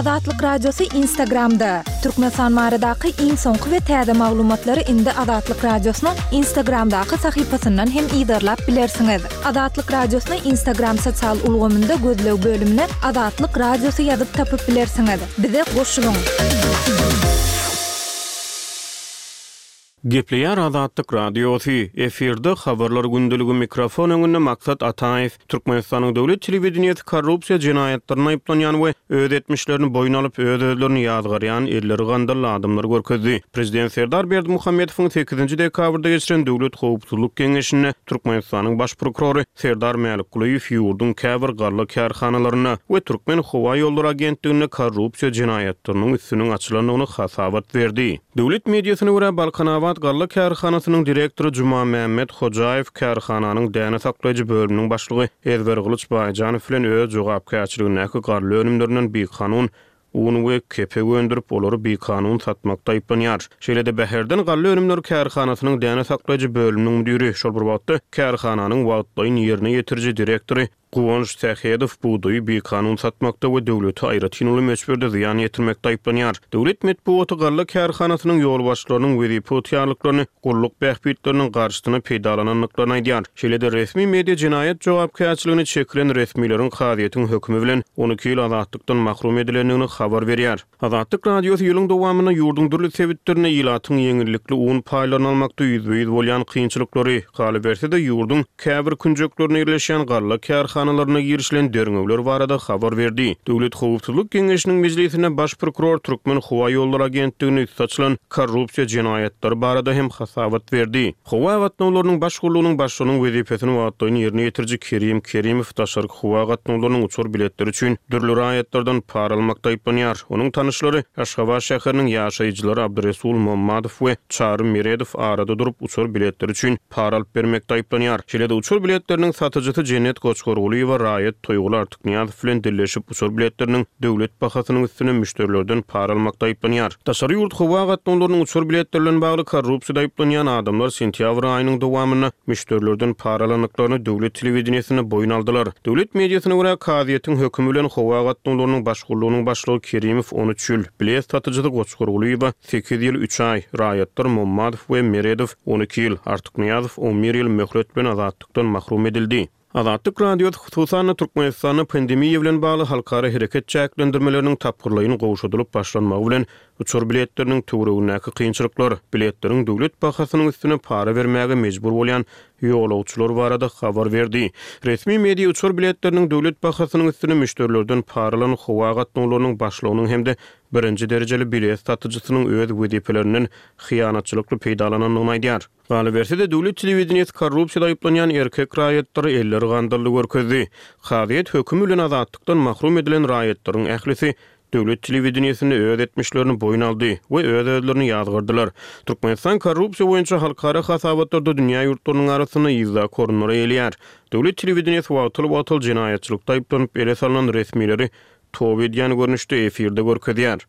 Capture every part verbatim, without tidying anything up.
Azatlyk Radiosy Instagramda! Türkmenistan baradaky iň soňky we täze maglumatlary indi Azatlyk Radiosynyň Instagramdaky sahypasyndan hem yzarlap bilersiňiz. Azatlyk Radiosyny Instagram sosial ulgamynda gözleg bölümine Azatlyk Radiosy ýazyp tapyp bilersiňiz. Bize goşulyň! Gepleýär Azatlyk Radiosy, efirde Habarlar gündeligi mikrofon öňünde Maksat Ataýew. Türkmenistanyň döwlet telewideniýesi korrupsiýa jenaýatlarynda aýyplanýan we öz etmişlerini boýun alyp, öz-özlerini ýazgarýan elleri gandally adamlary görkezdi. Prezident Serdar Berdimuhamedowyň sekizinji dekabrda geçiren Döwlet howpsuzlyk geňeşinde Türkmenistanyň Baş prokurory Serdar Mälikgulyýew ýurduň käbir galla kärhanalarynda we Türkmenhowaýollary agentliginde korrupsiýa jenaýatlarynyň üstüniň açylandygyny hasabat berdi. Döwlet mediasyna görä, Balkanabat galla kärhanasynyň direktory Jumamämmet Hojaýew kärhananyň däne saklaýjy bölüminiň başlygy Ezbergylyç Baýjanow bilen öz jogapkärçiligindäki galla önümlerinden bikanun un we kepek öndürip, olary bikanun satmakda aýyplanýar. Şeýle-de Bäherden galla önümleri kärhanasynyň däne saklaýjy bölüminiň müdiri, şol bir wagtda kärhananyň wagtlaýyn ýerine ýetiriji direktory Guwanç Sähedow bugdaýy bikanun satmakda we döwlete aýratyn uly möçberde zyýan ýetirmekde aýyplanýar. Döwlet metbugaty galla kärhanasynyň ýolbaşçylarynyň wezipe ygtyýarlyklaryny gulluk bähbitleriniň garşysyna peýdalanandyklaryny aýdýar. Şeýle-de resmi media jenaýat jogapkärçiligine çekilen resmileriň kazyýetiň hökümi bilen on iki ýyl azatlykdan mahrum edilendigini habar berýär. Azatlyk Radiosy ýylyň dowamynda ýurduň dürli sebitlerinde ilatyň ýeňillikli un paýlaryny almakda ýüzbe-ýüz bolýan kynçylyklary, galyberse-de, ýurduň käbir künjeklerinde ýerleşýän galla kärhanalaryna girişilen derňewler barada habar berdi. Döwlet howpsuzlyk geňeşiniň mejlisinde baş prokuror Türkmenhowaýollary agentliginde üsti açylan korrupsiýa jenaýatlary barada hem hasabat berdi. Howa gatnawlarynyň baş gullugynyň başlygynyň wezipesini wagtlaýyn ýerine ýetiriji Kerim Kerimow daşarky howa gatnawlarynyň uçar biletleri üçin dürli raýatlardan para almakda aýyplanýar. Onuň tanyşlary Aşgabat şäheriniň ýaşaýjylary Abdyresul Mommadow we Çary Meredow arada durup uçar biletleri üçin para alyp bermekde aýyplanýar. Şeýle-de uçar biletleriniň satyjysy Jennet Goçgargulyýewa raýat Toýguly Artyknyýazow bilen dilleşip uçar biletleriniň döwlet bahasynyň üstüne müşderilerden para almakda aýyplanýar. Daşary ýurt howa gatnawlarynyň uçar biletleri bilen bagly korrupsiýada aýyplanýan adamlar sentýabr aýynyň dowamynda müşderilerden para alandyklaryny döwlet telewideniýesinde boýun aldylar. Döwlet mediasyna görä, kazyýetiň hökümi bilen howa gatnawlarynyň baş gullugynyň başlygy Kerimow on üç ýyl, bilet satyjysy Goçgargulyýewa sekiz ýyl üç aý, raýatlar Mommadow we Meredow on iki ýyl, Artyknyýazow on bir ýyl möhlet bilen azatlykdan mahrum edildi. Azatlyk Radiosy, hususan-da, Türkmenistanda pandemiýa bilen bagly halkara hereket çäklendirmeleriniň tapgyrlaýyn gowşadylyp başlanmagy bilen uçar biletleriniň töweregindäki kynçylyklar, biletleriň döwlet bahasynyň üstüne para bermäge mejbur bolýan ýolagçylar barada habar berdi. Resmi media uçar biletleriniň döwlet bahasynyň üstüne müşderilerden para alan howa gatnawlarynyň başlygynyň hem-de birinji derejeli bilet satyjysynyň öz wezipelerinden hyýanatçylykly peýdalanandygyny aýdýar. Galyberse-de, döwlet telewideniýesi korrupsiýada aýyplanýan erkek raýatlary elleri gandally görkezdi. Kazyýet hökümi bilen azatlykdan mahrum edilen raýatlaryň ählisi döwlet telewideniýesinde öz etmişlerini boýun aldy we öz-özlerini ýazgardylar. Türkmenistan korrupsiýa boýunça halkara hasabatlarda dünýä ýurtlarynyň arasynda yzdaky orunlary eýeleýär. Döwlet telewideniýesi wagtal-wagtal jenaýatçylykda aýyplanyp ele salnan resmileri toba edýän görnüşde efirde görkezýär.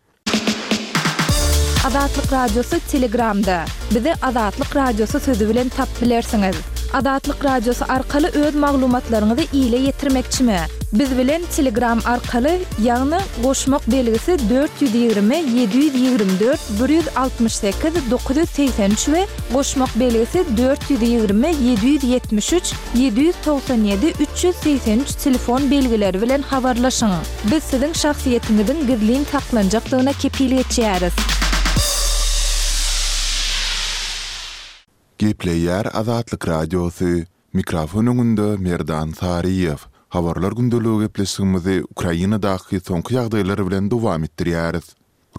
Azatlyk Radiosy Telegramda. Bizi Azatlyk Radiosy sözi bilen tapyp bilersiňiz. Azatlyk Radiosy arkaly öz maglumatlaryňyzy ile ýetirmekçimi? Biz bilen Telegram arkaly, ýagny goşmak belgisi dört ýüz ýigrimi ýedi ýüz ýigrimi dört bir ýüz altmyş sekiz dokuz ýüz segsen üç we goşmak belgisi dört ýüz ýigrimi ýedi ýüz ýetmiş üç ýedi ýüz togsan ýedi üç ýüz segsen üç telefon belgileri bilen habarlaşyň. Biz siziň şahsyýetiňiziň gizlin saklanjakdygyna kepil geçýäris. Gepleýär Azatlyk Radiosy, Mikrofon öňünde Merdan Saryýew. Habarlar gündeligi gepleşigimizi Ukrainadaky soňky ýagdaýlar bilen dowam etdirýäris.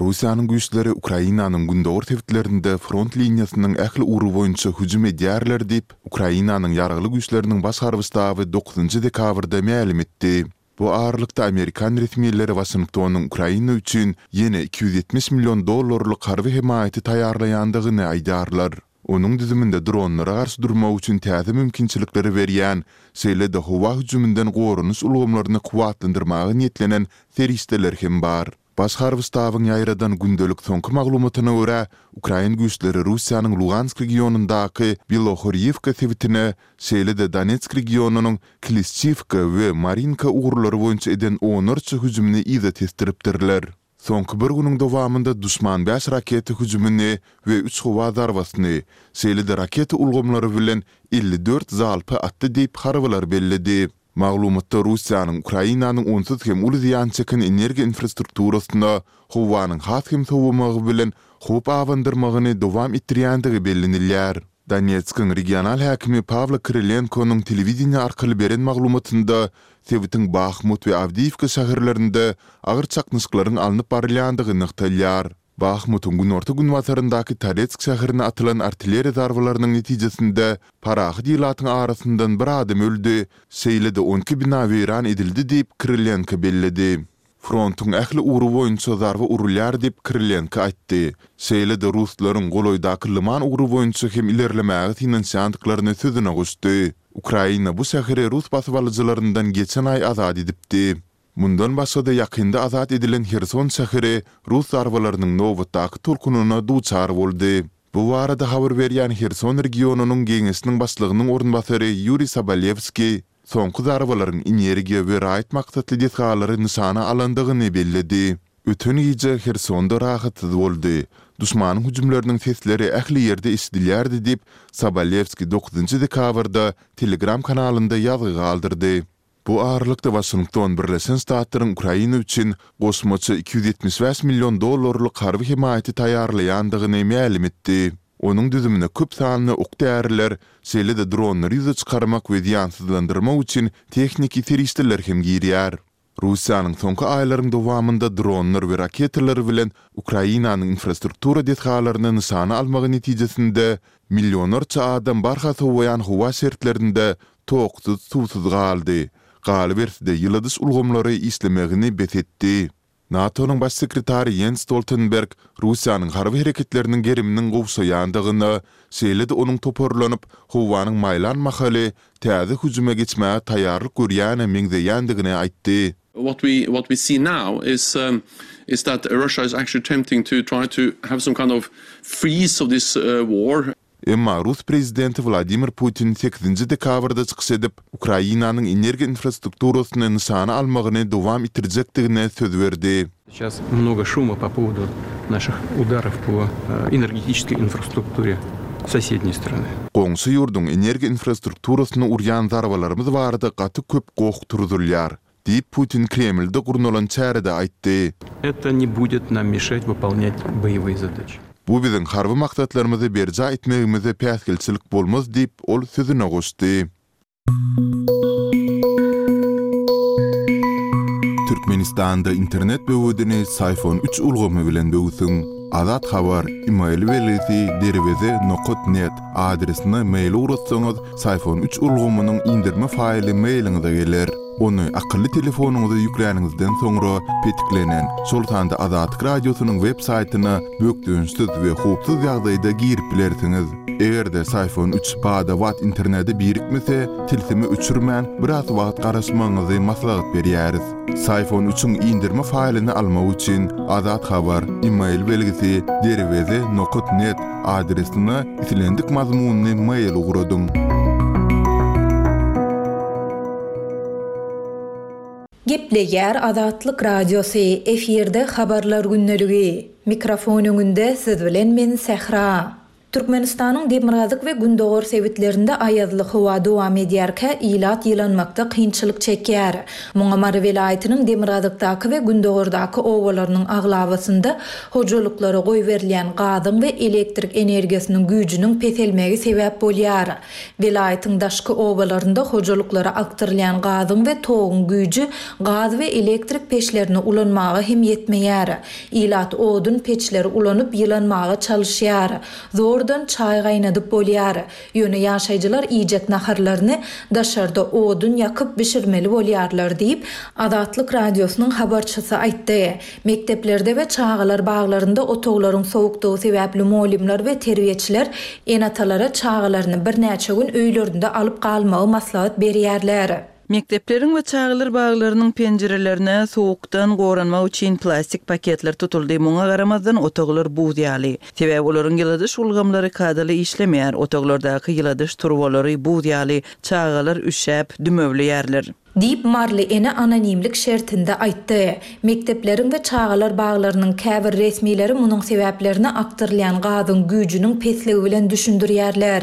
Russiýanyň güýçleri Ukrainanyň gündogar sebitlerinde front liniýasynyň ähli ugry boýunça hüjüm edýärler diýip, Ukrainanyň Ýaragly Güýçleriniň Baş harby ştaby dokuzynjy dekabrda mälim etdi. Bu aralykda amerikan resmileri Waşingtonyň Ukraina üçin ýene iki ýüz ýetmiş million dollarlyk harby hemaýaty taýýarlaýandygyny aýdýarlar. Onuň düzüminde dronlara garşy durmak üçin täze mümkinçilikleri berýän, şeýle-de howa hüjüminden goranyş ulgamlaryny kuwwatlandyrmaga niýetlenen serişdeler hem bar. Baş harby ştabyň ýaýradan gündelik soňky maglumatyna görä, ukrain güýçleri Russiýanyň Lugansk regionyndaky Belohorýewka sebitine, şeýle-de Donetsk regionynyň Klişçiwka we Marinka ugurlary boýunça eden onlarça hüjümini yza tesdiripdirler. Soňky bir günüň dowamynda duşman bäş raketa hüjümini we üç howa zarbasyny, şeýle-de raketa ulgamlary bilen elli dört zalpy atdy diýip, harbylar belledi. Maglumatda Russiýanyň Ukrainanyň onsuz hem uly zyýan çeken energiýa infrastrukturasyna howanyň has hem sowamagy bilen howp abandyrmagyny dowam etdirýändigi bellenilýär. Donetskiň regional häkimi Pawlo Kyrylenkonyň telewideniýe arkaly beren maglumatynda sebitiň Bahmut we Awdiýiwka şäherlerinde agyr çaknyşyklaryň alnyp barylýandygy nygtalýar. Bahmutyň günorta-günbataryndaky Toretsk şäherine atylan artilleriýa zarbalarynyň netijesinde parahat ilatyň arasyndan bir adam öldi, şeýle-de on iki bina weýran edildi diýip, Kyrylenko belledi. Frontuň ähli ugry boýunça zarba urulýar diýip, Kyrylenko aýtdy. Şeýle-de ruslaryň golaýdaky Lyman ugry boýunça hem ilerlemäge synanyşýandyklaryny sözüne goşdy. Ukraina bu şäheri rus basybalyjylaryndan geçen aý azat edipdi. Mundan başga-da ýakynda azat edilen Herson şäheri rus zarbalarynyň nobatdaky tolkunyna duçar boldy. Bu barada habar berýän Herson regionynyň geňeşiniň başlygynyň orunbasary Ýuriý Sobolewskiý soňky zarbalaryň energiýa we raýat maksatly desgalary nyşana alandygyny belledi. Öten gije Hersonda rahatsyz boldy. Duşmanyň hüjümleriniň sesleri ähli ýerde eşidilýärdi diýip, Sobolewskiý dokuzynjy dekabrda Telegram kanalynda ýazgy galdyrdy. Bu aralykda, Waşington Birleşen Ştatlaryň Ukraina üçin goşmaça iki ýüz ýetmiş bäş million dollarlyk harby hemaýaty taýýarlaýandygyny mälim etdi. Onuň düzümine köp sanly ok-däriler, şeýle-de dronlary ýüze çykarmak we zyýansyzlandyrmak üçin tehniki serişdeler hem girýär. Russiýanyň soňky aýlaryň dowamynda dronlar we raketalar bilen Ukrainanyň infrastruktura desgalaryny nyşana almagy netijesinde millionlarça adam barha sowaýan howa şertlerinde toksuz, suwsuz galdy. Galyberse-de, ýyladyş ulgamlary işlemegini bes etdi. NATO-nyň Baş sekretary Ýens Stoltenberg Russiýanyň harby hereketleriniň geriminiň gowşaýandygyna, şeýle-de onuň toparlanyp, howanyň maýlan mahaly täze hüjüme geçmäge taýýarlyk görýäne meňzeýändigini aýtdy. What we what we see now is is that Russia is actually attempting to try to have some kind of freeze of this war. Emma rus prezidenti Wladimir Putin sekizinji dekabrda çykyş edip, Ukrainanyň energiýa infrastrukturasyny nyşana almagyny dowam etdirjekdigine söz berdi. Seyças mnogo şuma po powodu naših udarow po energetiçeskoý infrastrukture sosedney strany. Goňşy ýurduň energiýa infrastrukturasyna urýan zarbalarymyz barada gaty köp goh turuzylýar. Diýip, Putin Kremlde gurnalan çärede aýtdy. Eto ne budet nam meşat wypolnýat boýewyý zadaçi. Bu biziň harby maksatlarymyzy berjaý etmegimize päsgelçilik bolmaz diýip, ol sözüne goşdy. Türkmenistanda internet böwedini Syfon üç ulgamy bilen böwsüň. Azat Habar, email belgisi derweze nokat net adresine mail ugratsaňyz, Syfon üç ulgamynyň indirme faýly mailiňize geler. Ony akylly telefonyňyza ýükläniňizden soňra, petiklenen, şol sanda Azatlyk Radiosynyň web saýtyna bökdençsiz we howpsuz ýagdaýda girip bilersiňiz. Eger-de Syfon üç bada-bat internete birikmese, tilsimi öçürmän, biraz wagt garaşmagyňyzy maslahat berýäris. Syfon üçiň indirme faýlyny almak üçin, Azat Habar, email belgisi, derweze nokat net adresine islendik mazmunly mail ugradyň. Gepleýär Azatlyk Radiosy, efirde Habarlar gündeligi. Mikrofon öňünde siz bilen men Sähra. Türkmenistanyň demirgazyk we gündogar sebitlerinde aýazly howa dowam edýärkä, ilat ýylanmakda kynçylyk çekýär. Muňa Mary welaýatynyň demirgazykdaky we gündogardaky obalarynyň aglabasynda hojalyklara goýberilýän gazyň we elektrik energiýasynyň güýjüniň peselmegi sebäp bolýar. Welaýatyň daşky obalarynda hojalyklara akdyrylýan gazyň we toguň güýji gaz we elektrik peçlerini ulanmaga hem ýetmeýär. Ilat odun peçleri ulanyp ýylanmaga çalyşýar. Zordan çaý gaýnadyp bolýar. Ýöne ýaşaýjylar iýjek naharlaryny daşarda odun ýakyp bişirmeli bolýarlar diýip, Azatlyk Radiosynyň habarçysy aýtdy. Mekdeplerde we çagalar baglarynda otaglaryň sowukdygy sebäpli mugallymlar we terbiýeçiler ene-atalara çagalaryny birnäçe gün öýlerinde alyp galmagy maslahat berýärler. Mekdepleriň we çagalar baglarynyň penjirelerine sowukdan goranmak üçin plastik paketler tutuldy. Muňa garamazdan otaglar buz ýaly. Sebäbi olaryň ýyladyş ulgamlary kadaly işlemeýär. Otaglardaky ýyladyş turbalary buz ýaly, çagalar üşäp, dümewleýärler. Diýip, maryly ene anonimlik şertinde aýtdy. Mekdepleriň we çagalar baglarynyň käbir resmileri munuň sebäplerini akdyrylýan gazyň güýjüniň pesligi bilen düşündirýärler.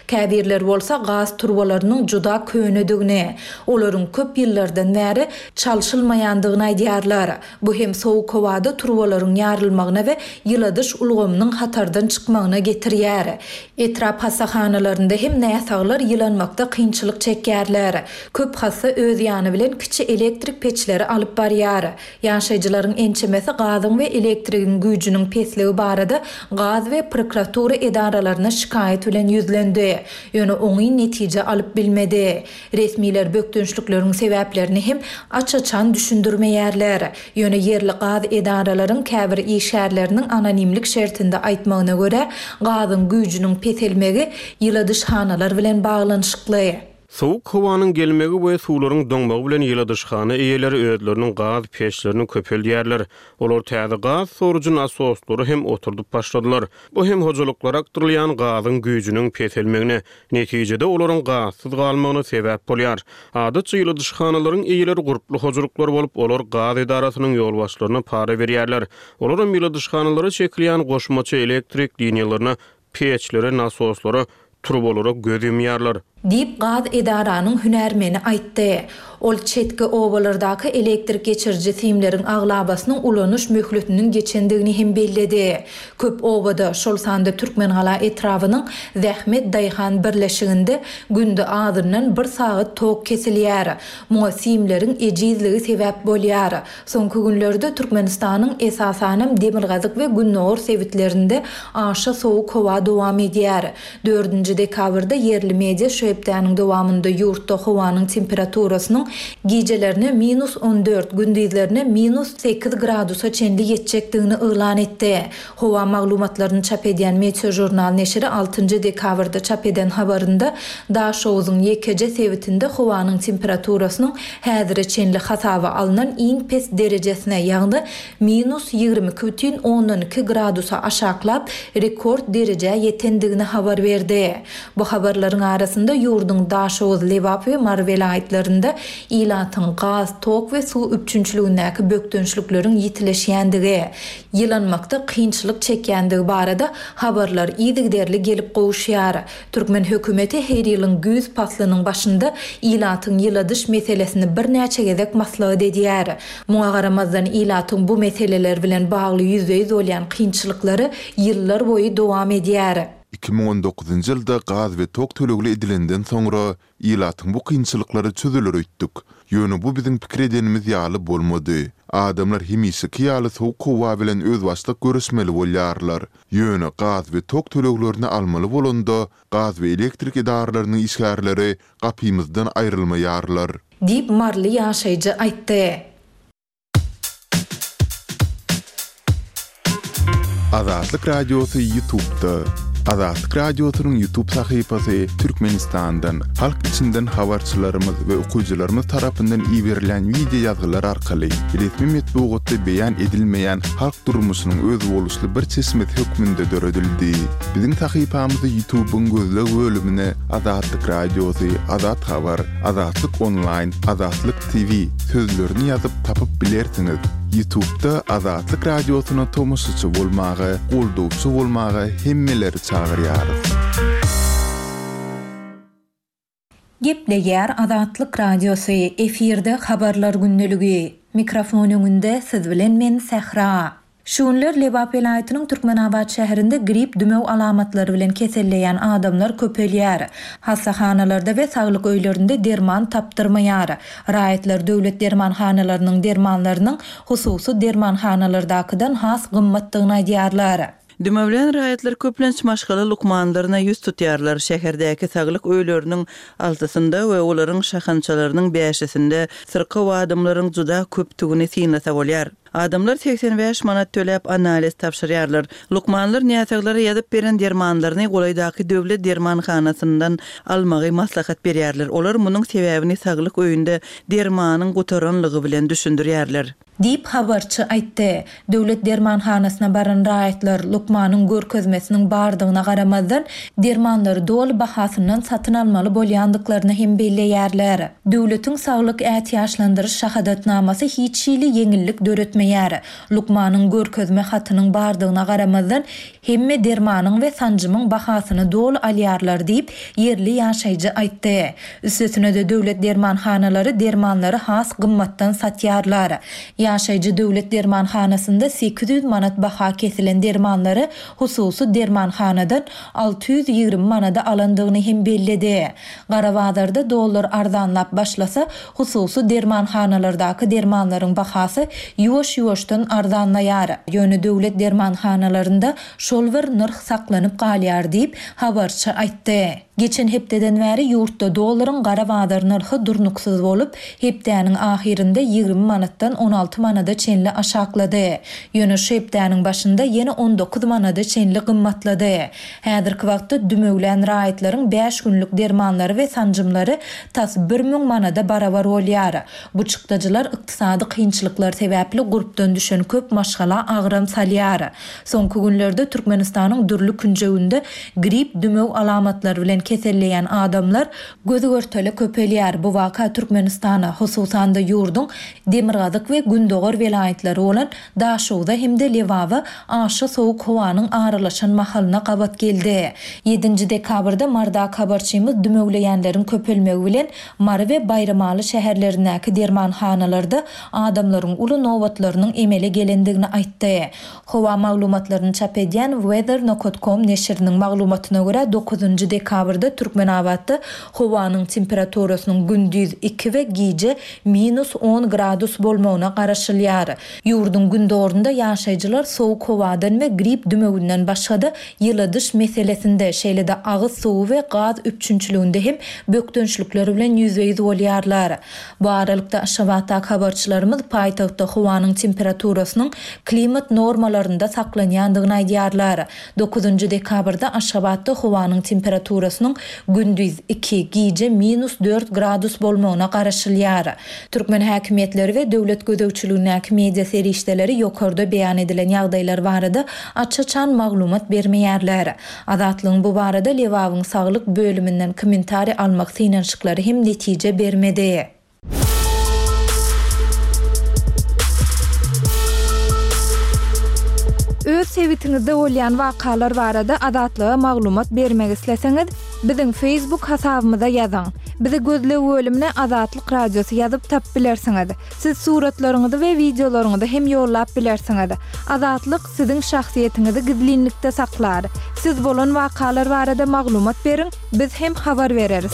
Käbirleri bolsa gaz turbalarynyň juda könedigini, olaryň köp ýyllardan bäri çalşylmaýandygyny aýdýarlar. Bu hem sowuk howada turbalaryň ýarylmagyna we ýyladyş ulgamynyň hatardan çykmagyna getirýär. Etrap hassahanalarynda hem näsaglar ýylanmakda kynçylyk çekýärler. Köp hassa öz ýany bilen kiçi elektrik peçleri alyp barýar. Ýaşaýjylaryň ençemesi gazyň we elektrigiň güýjüniň pesligi barada gaz we prokuratura edaralaryna şikaýat bilen ýüzlendi. Ýöne oňyn netije alyp bilmedi. Resmiler bökdençlikleriň sebäplerini hem aç-açan düşündirmeýärler. Ýöne ýerli gaz edaralaryň käbir işgärleriniň anonimlik şertinde aýtmagyna görä, gazyň güýjüniň peselmegi ýyladyşhanalar bilen baglanyşykly. Sowuk howanyň gelmegi we suwlaryň doňmagy bilen ýyladyşhana eýeleri özleriniň gaz peçlerini köpeldýärler. Olar täze gaz sorujy nasoslary hem oturdyp başladylar. Bu hem hojalyklara akdyrylýan gazyň güýjüniň peselmegine, netijede olaryň gazsyz galmagyna sebäp bolýar. Adatça ýyladyşhanalaryň eýeleri gurply hojalyklar bolup, olar gaz edarasynyň ýolbaşçylaryna para berýärler. Olaram ýyladyşhanalara çekilýän goşmaça elektrik liniýalaryna, peçlere, nasoslara, turbalara göz ýumýarlar. Diýip, gaz edaranyň hünärmeni aýtdy. Ol çetki obalardaky elektrik geçiriji simleriň aglabasynyň ulanyş möhletiniň geçendigini hem belledi. Köp obada, şol sanda Türkmengala etrabynyň Zähmet daýhan birleşiginde günde azyndan bir sagat tok kesilýär. Muňa simleriň ejizligi sebäp bolýar. Soňky günlerde Türkmenistanyň esasanam demirgazyk we gündogar sebitlerinde aşa sowuk howa dowam edýär. Dördünji dekabrda ýerli media şu hepdäniň dowamynda ýurtda howanyň temperaturasynyň gijelerine minus on dört, gündizlerine minus sekiz gradusa çenli ýetjekdigini yglan etdi. Howa maglumatlaryny çap edýän Meteožurnal neşiri altynjy dekabrda çap eden habarynda Daşoguzyň ýekeje sebitinde howanyň temperaturasynyň häzire çenli hasaba alnan iň pes derejesine, ýagny minus ýigrimi iki bütin ondan iki gradusa aşaklap, rekord derejä ýetendigini habar berdi. Bu habarlaryň arasynda ýurduň Daşoguz, Lebap we Mary welaýatlarynda ilatyň gaz, tok we suw üpjünçiligindäki bökdençlikleriň ýitileşýändigi, ýylanmakda kynçylyk çekýändigi barada habarlar yzygiderli gelip gowuşýar. Türkmen hökümeti her ýylyň güýz paslynyň başynda ilatyň ýyladyş meselesini birnäçe gezek maslahat edýär. Muňa garamazdan, ilatyň bu meseleler bilen bagly ýüzbe-ýüz bolýan kynçylyklary ýyllar boýy dowam edýär. Iki müň on dokuzynjy ýylda gaz we tok tölegli edilenden soňra ilatyň bu kynçylyklary çözüler öýtdük. Ýöne bu biziň pikir edenimiz ýaly bolmady. Adamlar hemişeki ýaly sowuk howa bilen özbaşdak göreşmeli bolýarlar. Ýöne gaz we tok töleglerini almaly bolanda gaz we elektrik edaralarynyň işgärleri gapymyzdan aýrylmaýarlar. Diýip, maryly ýaşaýjy aýtdy. Azatlyk Radiosy YouTube'da. Azatlyk Radiosynyň YouTube sahypasy Türkmenistandan, halk içinden habarçylarymyz we okyjylarymyz tarapyndan iberilen wideo ýazgylar arkaly resmi metbugatda beýan edilmeýän halk durmuşynyň özboluşly bir çeşmesi hökmünde döredildi. Biziň sahypamyzy YouTube'yň gözleg bölümine Azatlyk Radiosy, Azat Habar, Azatlyk Online, Azatlyk T V sözlerini ýazyp tapyp bilersiňiz. YouTube'da Azatlyk Radiosyna tomaşaçy bolmaga, goldawçy bolmaga hemmeleri çagyrýarys. Gepleýär Azatlyk Radiosy, efirde habarlar gündeligi. Mikrofon öňünde siz bilen men Sähra. Şu günler Lebap welaýatynyň Türkmenabat şäherinde grip dümew alamatlary bilen keselleýän adamlar köpelýär. Hassahanalarda we saglyk öýlerinde derman tapdyrmaýar. Raýatlar döwlet dermanhanalarynyň dermanlarynyň hususy dermanhanalardakydan has gymmatdygyny aýdýarlar. Dümewlän raýatlar köplenç maşgala lukmanlaryna ýüz tutýarlar. Şäherdäki saglyk öýleriniň altysynda we olaryň şahançalarynyň bäşisinde syrkaw adamlaryň juda köpdügini synlasa bolýar. Adamlar segsen bäş manat töläp analiz tabşyrýarlar. Lukmanlar näsaglara ýazyp beren dermanlaryny golaýdaky döwlet dermanhanasyndan almagy maslahat berýärler. Olar munuň sebäbini saglyk öýünde dermanyň gutaranlygy bilen düşündirýärler. Diýip, habarçy aýtdy. Döwlet dermanhanasyna baran raýatlar, lukmanyň görkezmesiniň bardygyna garamazdan, dermanlary doly bahasyndan satyn almaly bolýandyklaryny hem belleýärler. Döwletiň saglyk ätiýaçlandyryş şahadatnamasy hiç hili ýeňillik döretmeýär. Lukmanyň görkezme hatynyň bardygyna garamazdan, hemme dermanyň we sanjymyň bahasyny doly alýarlar diýip, ýerli ýaşaýjy aýtdy. Üstesine-de döwlet dermanhanalary dermanlary has gymmatdan satýarlar. Ýaşaýjy döwlet dermanhanasynda sekiz ýüz manat baha kesilen dermanlary hususy dermanhanadan alty ýüz ýigrimi manada alandygyny hem belledi. Gara bazarda dollar arzanlap başlasa, hususy dermanhanalardaky dermanlaryň bahasy ýuwaş-ýuwaşdan arzanlaýar. Ýöne döwlet dermanhanalarynda şol bir nyrh saklanyp galýar diýip, habarçy aýtdy. Geçen hepdeden bäri ýurtda dollaryň gara bazar nyrhy durnuksyz bolup, hepdäniň ahyrynda ýigrimi manatdan on alty manada çenli aşaklady. Ýöne şu hepdäniň başynda ýene on dokuz manada çenli gymmatlady. Häzirki wagtda dümewlän raýatlaryň bäş günlük dermanlary we sanjymlary tas bir müň manada barabar bolýar. Bu çykdajylar ykdysady kynçylyklar sebäpli gurpdan düşen köp maşgala agram salýar. Soňky günlerde Türkmenistanyň dürli künjeginde grip dümew alamatlary bilen keselleýän adamlar göz görtele köpelýär. Bu waka Türkmenistana, hususan-da ýurduň demirgazyk we gündogar welaýatlary bolan Daşogza hem-de Lebaba aşa sowuk howanyň aralaşan mahalyna gabat geldi. Ýedinji dekabrda Marda habarçymyz dümewleýänleriň köpelmegi bilen Mary we Baýramaly şäherlerindäki dermanhanalarda adamlaryň uly nobatlarynyň emele gelendigini aýtdy. Howa maglumatlaryny çap edýän weather nokta com neşiriniň maglumatyna görä dokuzynjy dekabrda Türkmenabatda howanyň temperaturasynyň gündiz iki we gije minus on gradus bolmagyna garaşylýar. Ýurduň gündogarynda ýaşaýjylar sowuk howadan we grip dümewinden başga-da ýyladyş meselesinde, şeýle-de agyz suwy we gaz üpjünçiliginde hem bökdençlikler bilen ýüzbe-ýüz bolýarlar. Bu aralykda Aşgabatdaky habarçylarymyz paýtagtda howanyň temperaturasynyň klimat normalarynda saklanýandygyny aýdýarlar. Dokuzynjy dekabrda Aşgabatda howanyň temperaturasynyň gündiz iki, gije minus dört gradus bolmagyna garaşylýar. Türkmen häkimiýetleri we döwlet gözegçiligindäki media serişdeleri ýokarda beýan edilen ýagdaýlar barada aç-açan maglumat bermeýärler. Azatlygyň bu barada Lebabyň saglyk bölüminden kommentariý almak synanyşyklary hem netije bermedi. Öz sebitiňizde bolýan wakalar barada Azatlyga maglumat bermek isleseňiz, biziň Facebook hasabymyza ýazyň. Bizi gözleg bölümine Azatlyk Radiosy ýazyp tap bilersiňiz. Siz suratlaryňyzy we wideolaryňyzy hem ýollap bilersiňiz. Azatlyk siziň şahsyýetiňizi gizlinlikde saklar. Siz bolan wakalar barada maglumat beriň, biz hem habar bereris.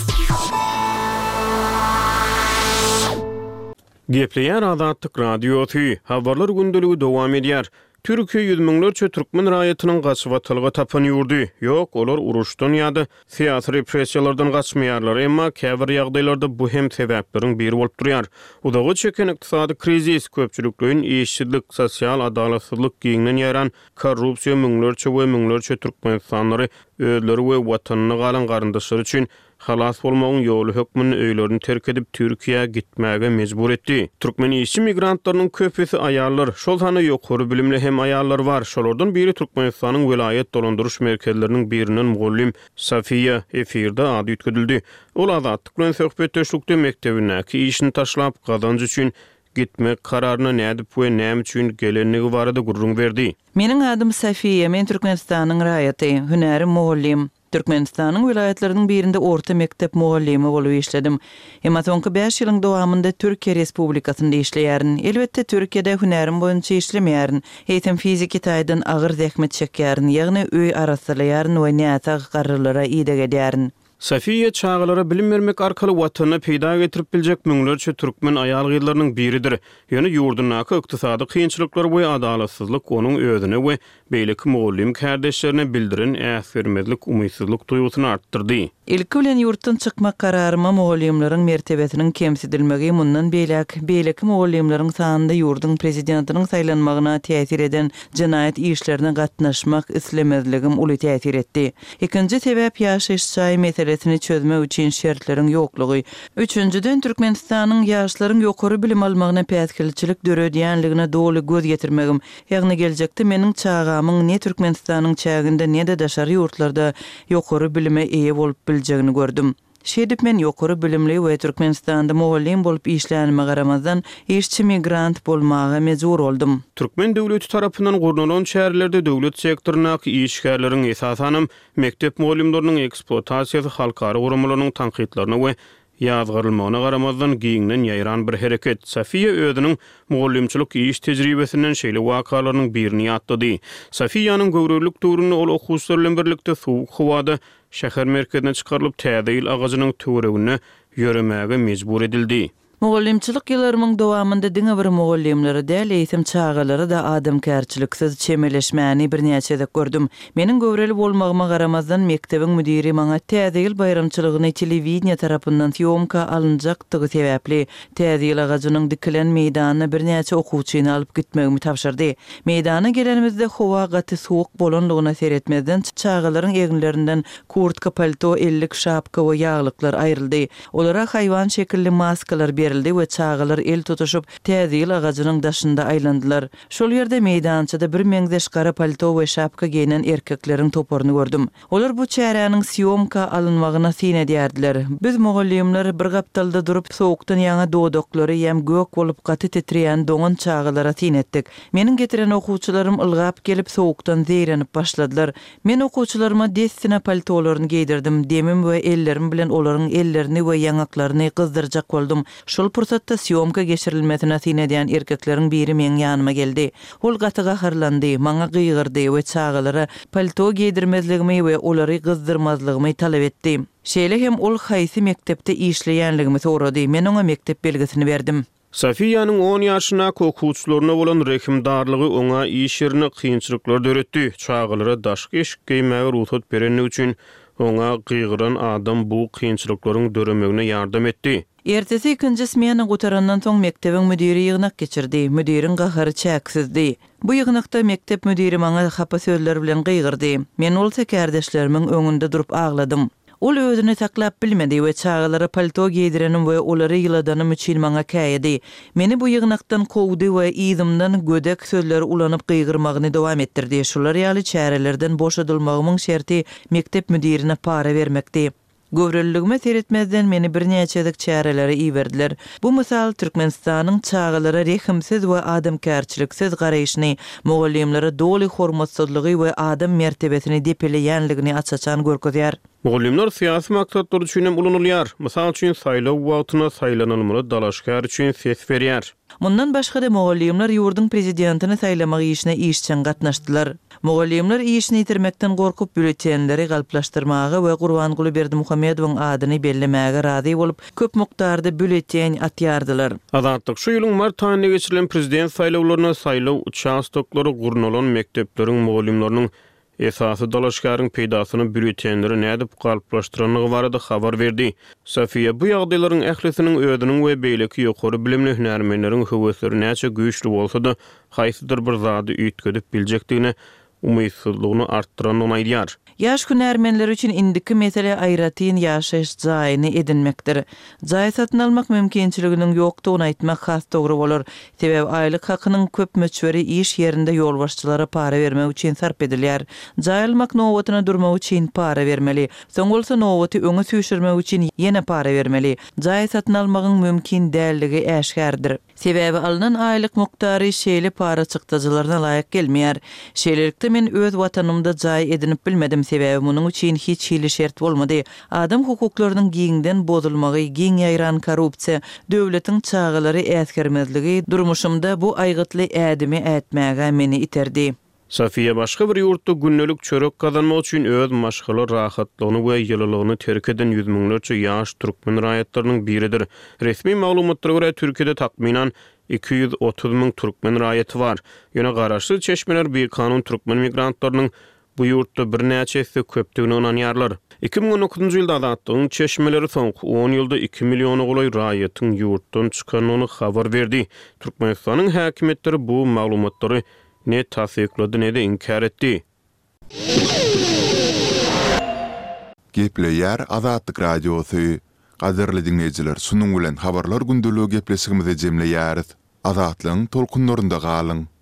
Gepleýär Azatlyk Radiosy, habarlar gündeligi dowam edýär. Türkiýe ýüz müňlerçe türkmen raýatynyň gaçybatalga tapan ýurdy. Ýok, olar uruşdan ýa-da syýasy repressiýalardan gaçmaýarlar, emma käbir ýagdaýlarda bu hem sebäpleriň biri bolup durýar. Uzaga çeken ykdysady krizis, köpçülikleýin işsizlik, sosial adalatsyzlyk giňden ýaýran korrupsiýa müňlerçe we müňlerçe Türkmenistanlary özleri we watanynda galan garyndaşlary üçin halas bolmagyň ýoly hökmünde öýlerini terk edip Türkiýä gitmäge mejbur etdi. Türkmen işçi migrantlarynyň köpüsi aýallar, şol sanda ýokary bilimli hem aýallar bar. Şolardan biri Türkmenistanyň welaýat dolandyryş merkezleriniň birinden mugallym Safiýa efirde ady üýtgedildi. Ol Azatlyk bilen söhbetdeşlikde mekdebindäki işini taşlap gazanç üçin gitmek kararyna nädip we näme üçin gelenligi barada gürrüň berdi. Meniň adym Safiýa, men Türkmenistanyň raýaty, hünärim mugallym. Türkmenistanyň welaýatlarynyň birinde orta mekdep mugallymy bolup işledim. Emma soňky bäş ýylyň dowamynda Türkiýe Respublikasynda işleýärin. Elbetde Türkiýede hünärim boýunça işlemeýärin. Eýsem fiziki taýdan agyr zähmet çekýärin, ýagny öý arasalaýaryn we näsag garrylara ideg edýärin. Safiýa çagalara bilim bermek arkaly watanyna peýda getirip biljek müňlerçe türkmen aýal gyzlarynyň biridir. Ýöne ýurdundaky ykdysady kynçylyklar we adalatsyzlyk onuň özüne we beýleki mugallym kärdeşlerine bildiren äsgermezlik, umytsyzlyk duýgusyny artdyrdy. Ilki bilen ýurtdan çykmak kararyma mugallymlaryň mertebesiniň kemsidilmegi mundan beýläk beýleki mugallymlaryň sanynda ýurduň prezidentiniň saýlanmagyna täsir eden jenaýat işlerine gatnaşmak islemezligim uly täsir etdi. Ikinji sebäp ýaşaýyş jaý meselesini çözmek üçin şertleriň ýoklugy. Üçünjiden Türkmenistanyň ýaşlaryň ýokary bilim almagyna päsgelçilik döredýänligine doly göz ýetirmegim, ýagny geljekde meniň çagamyň ne Türkmenistanyň çäginde ne-de daşary ýurtlarda ýokary bilime eýe bolup biljegini gördüm. Şeýdip men ýokary bilimli we Türkmenistanda mugallym bolup işlänime garamazdan, işçi migrant bolmaga mejbur boldum. Türkmen döwleti tarapyndan gurnalan çärelerde döwlet sektoryndaky işgärleriň, esasanam mekdep mugallymlarynyň ekspluatasiýasy halkara guramalarynyň tankytlaryna we ýazgarylmagyna garamazdan giňden ýaýran bir hereket. Sofiýa özüniň mugallymçylyk iş tejribesinden şeýle wakalarynyň birini ýatlady. Sofiýanyň göwrelilik döwründe ol okuwçylar bilen birlikde sowuk howada şäher merkezine çykarylyp, täze ýyl agajynyň töwereginde ýöremäge mejbur edildi. Mugallymçylyk ýyllarymyň dowamynda diňe bir mugallymlara däl, eýsem çagalara-da adamkärçiliksiz çemeleşmäni birnäçe gezek gördüm. Meniň göwreli bolmagyma garamazdan, mekdebiň müdiri maňa Täze ýyl baýramçylygyny telewideniýe tarapyndan sýomka alynjakdygy sebäpli, Täze ýyl agajynyň dikilen meýdanyna birnäçe okuwçyny alyp gitmegimi tabşyrdy. Meýdana gelenimizde howa gaty sowuk bolanlygyna seretmezden, çagalaryň eginlerinden kurtka, palto, ellik, şapka we ýaglyklar aýryldy. Olara haýwan şekilli maskalar berildi we çagalar el tutuşyp, Täze ýyl agajynyň daşynda aýlandylar. Şol ýerde meýdançada birmeňzeş gara palto we şapka geýnen erkekleriň toparyny gördüm. Olar bu çäräniň sýomka alynmagyna syn edýärdiler. Biz mugallymlar bir gapdalda durup, sowukdan ýaňa dodaklary ýem gök bolup gaty titreýän doňan çagalara syn etdik. Meniň getiren okuwçylarym ylgap gelip, sowukdan zeýrenip başladylar. Men okuwçylaryma dessine paltolaryny geýdirdim, demim we ellerim bilen olaryň ellerini we ýaňaklaryny gyzdyrjak boldum. Şol pursatda sýomka geçirilmesine syn edýän erkekleriň biri meň ýanyma geldi. Ol gaty gaharlandy, maňa gygyrdy we çagalara palto geýdirmezligimi we olary gyzdyrmazlygymy talap etdi. Şeýle hem ol haýsy mekdepde işleýänligimi sorady, men oňa mekdep belgisini berdim. Sofiýanyň on ýaşyndaky okuwçylaryna bolan rehimdarlygy oňa iş ýerinde kynçylyklar döretdi. Çagalara daşky eşik geýmäge rugsat berendigi üçin oňa gygyran adam bu kynçylyklaryň döremegine ýardam etdi. Ertesi ikinji smena gutarandan soň mekdebiň müdiri ýygnak geçirdi. Müdiriň gahary çäksizdi. Bu ýygnakda mekdep müdiri maňa hapa sözler bilen gygyrdy. Men bolsa kärdeşlerimiň öňünde durup agladym. Ol özüni saklap bilmedi we çagalara palto geýdirenim we olary ýyladanym üçin maňa käýedi. Meni bu ýygnakdan kowdy we yzymdan gödek sözleri ulanyp gygyrmagyny dowam etdirdi. Şular ýaly çärelerden boşadylmagymyň şerti mekdep müdirine para bermekdi. Göwreliligime seretmezden meni birnäçe gezek çärelere iberdiler. Bu mysal Türkmenistanyň çagalara rehimsiz we adamkärçiliksiz garaýşyny, mugallymlara doly hormatsyzlygy we adam mertebesini depeleýänligini aç-açan görkezýär. Mugallymlar syýasy maksatlar üçin hem ulanylýar. Mysal üçin, saýlaw wagtynda saýlanylmaly dalaşgär üçin ses berýär. Mundan başga-da, mugallymlar ýurduň prezidentini saýlamak işine işjeň gatnaşdylar. Mugallymlar işini ýitirmekden gorkup, býulletenleri galplaşdyrmaga we Gurbanguly Berdimuhamedowyň adyny bellemäge razy bolup, köp mukdarda býulleten atýardylar. Azatlyk şu ýylyň mart aýynda geçirilen prezident saýlawlarynda saýlaw uçastoklary gurnalan mekdepleriň mugallymlarynyň esasy dalaşgäriň peýdasyna býulletenleri nädip galplaşdyrandygy barada habar berdi. Sofiýa bu ýagdaýlaryň ählisiniň özüniň we beýleki ýokary bilimli hünärmenleriň höwesleri näçe güýçli bolsa-da, haýsydyr bir zady üýtgedip biljekdigine umytsyzlygyny artdyrandygyny aýdýar. Ýaş hünärmenler üçin indiki mesele aýratyn ýaşaýyş jaýyny edinmekdir. Jaý satyn almak mümkinçiliginiň ýokdugyny aýtmak has dogry bolar. Sebäbi aýlyk hakynyň köp möçberi iş ýerinde ýolbaşçylara para bermek üçin sarp edilýär. Jaý almak nobatyna durmak üçin para bermeli. Soň bolsa nobaty öňe süýşürmek üçin ýene para bermeli. Jaý satyn almagyň mümkin däldigi äşgärdir. Sebäbi alnan aýlyk mukdary şeýle para çykdajylaryna laýyk gelmeýär. Şeýlelikde men öz watanymda jaý edinip bilmedim, sebäbi munuň üçin hiç hili şert bolmady. Adam hukuklarynyň giňden bozulmagy, giň ýaýran korrupsiýa, döwletiň çagalary äsgermezligi durmuşymda bu aýgytly ädimi ätmäge meni iterdi. Sofiýa başga bir ýurtda gündelik çörek gazanmak üçin öz maşgala rahatlygyny we ýylylygyny terk eden ýüz müňlerçe ýaş türkmen raýatlarynyň biridir. Resmi maglumatlara görä, Türkiýede takmynan iki ýüz otuz müň türkmen raýaty bar. Ýöne garaşsyz çeşmeler bikanun türkmen migrantlarynyň bu ýurtda birnäçe esse köpdügine ynanýarlar. Iki müň on dokuzynjy ýylda Azatlygyň çeşmeleri soňky on ýylda iki milliona golaý raýatyň ýurtdan çykandygyny habar berdi. Türkmenistanyň häkimiýetleri bu maglumatlary ne tassyklady, ne-de inkär etdi. Gepleýär Azatlyk Radiosy. Gadyrly diňleýjiler, şunuň bilen Habarlar gündeligi gepleşigimizi jemleýäris. Azatlygyň tolkunlarynda galyň!